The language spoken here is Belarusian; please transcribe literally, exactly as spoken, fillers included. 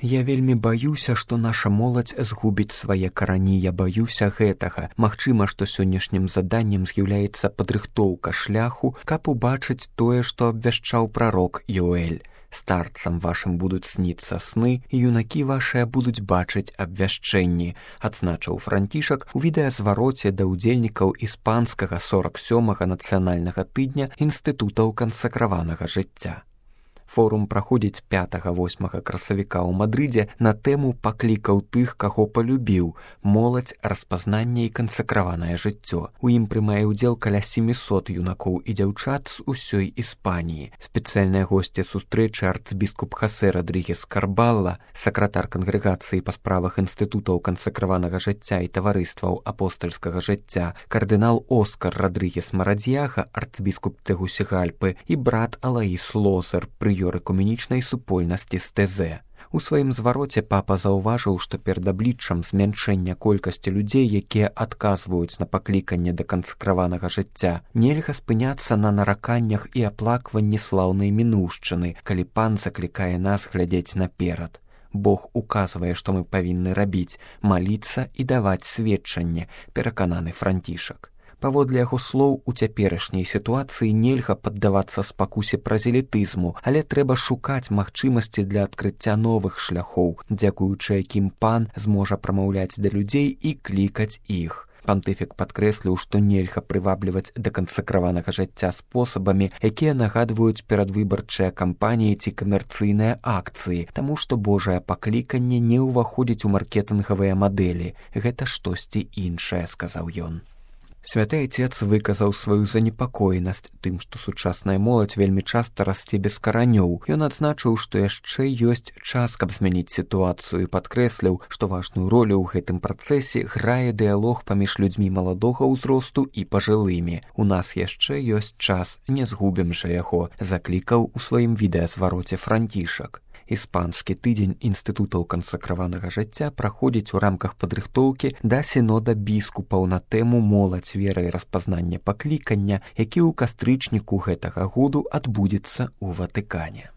Я вельмі баюся, што наша моладзь згубіць свае карані, я баюся гэтага. Магчыма, што сённяшнім заданнем з'яўляецца падрыхтоўка шляху, каб убачыць тое, што абвяшчаў прарок Ёэль. Старцам вашым будуць сніцца сны, і юнакі вашыя будуць бачыць абвяшчэнні, адзначыў Францішак у відэазвароце да ўдзельнікаў іспанскага сорак сёмага нацыянальнага тыдня інстытутаў кансакраванага жыцця. Форум праходзіць пятага-восьмага красавіка ў Мадрыдзе на тэму паклікаў тых, каго палюбіў, моладзь, распазнанне і кансакраванае жыццё. У ім прымае ўдзел каля сямісот юнакоў і дзяўчат з усёй Іспаніі. Спецыяльныя госці сустрэчы арцбіскуп Хасе Родрігес Карбалла, сакратар кангрэгацыі па справах інстытутаў кансакраванага жыцця і таварыстваў апостальскага жыцця, кардынал Оскар Родрігес Марадзьяга, арцбіскуп Тегусігальпы і брат Алаіс Лозер, прыёр экуменічнай супольнасці з Тэзэ. У сваім звароце папа заўважыў, што перад абліччам змяншэння колькасці людзей, якія адказваюць на пакліканне да кансакраванага жыцця, нельга спыняцца на нараканнях і аплакванні слаўнай мінуўшчыны, калі пан заклікае нас глядзець наперад. Бог указвае, што мы павінны рабіць, маліцца і даваць сведчанне, перакананы Францішак. Паводле яго слоў, у цяперашняй сітуацыі нельга паддавацца спакусе празелітызму, але трэба шукаць магчымасці для адкрыцця новых шляхоў, дзякуючы якім пан зможа прамаўляць да людзей і клікаць іх. Пантыфік падкрэсліў, што нельга прывабліваць да кансакраванага жыцця спосабамі, якія нагадваюць перадвыбарчыя кампаніі ці камерцыйныя акцыі, таму што Божае пакліканне не ўваходзіць у маркетынгавыя мадэлі. Гэта штосьці іншае, сказаў ён. Святы Айцец выказаў сваю занепакоенасць тым, што сучасная моладзь вельмі часта расце без каранёў. Ён адзначыў, што яшчэ ёсць час, каб змяніць сітуацыю, і падкрэсліў, што важную ролю ў гэтым працэсе грае дыялог паміж людзьмі маладога ўзросту і пажылымі. У нас яшчэ ёсць час, не згубім жа яго, заклікаў у сваім відэазвароце Францішак. Іспанскі тыдзень інстытутаў кансакраванага жыцця праходзіць у рамках падрыхтоўкі да сінода біскупаў на тэму моладзь, вера і распазнання паклікання, які ў кастрычніку гэтага году адбудзецца ў Ватыкане.